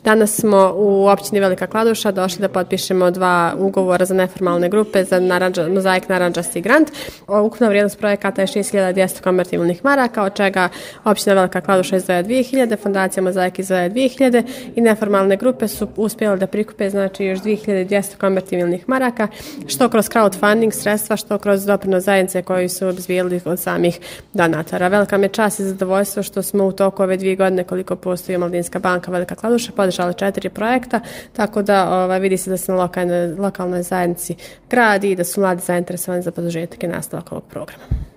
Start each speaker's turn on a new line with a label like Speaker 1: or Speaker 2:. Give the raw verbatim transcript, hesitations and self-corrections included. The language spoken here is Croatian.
Speaker 1: Danas smo u općini Velika Kladuša došli da potpišemo dva ugovora za neformalne grupe za naranđa, mozaik naranđasti grant. Ukupna vrijednost projekata je šest hiljada dvjesto konvertibilnih maraka, od čega općina Velika Kladuša izdvaja dvije hiljade, fondacija Mozaik izdvaja dvije hiljade i neformalne grupe su uspjele da prikupe znači još dvije hiljade dvjesto konvertibilnih maraka, što kroz crowdfunding sredstva, što kroz doprinos zajednice koji su obzbijeli od samih donatora. Velika mi je čast i zadovoljstvo što smo u toku ove dvije godine koliko postoji Omladinska banka Velika Kladuša podržali četiri projekta, tako da ovaj, vidi se da se na lokalnoj, lokalnoj zajednici gradi i da su mladi zainteresovani za produžetak i nastavak ovog programa.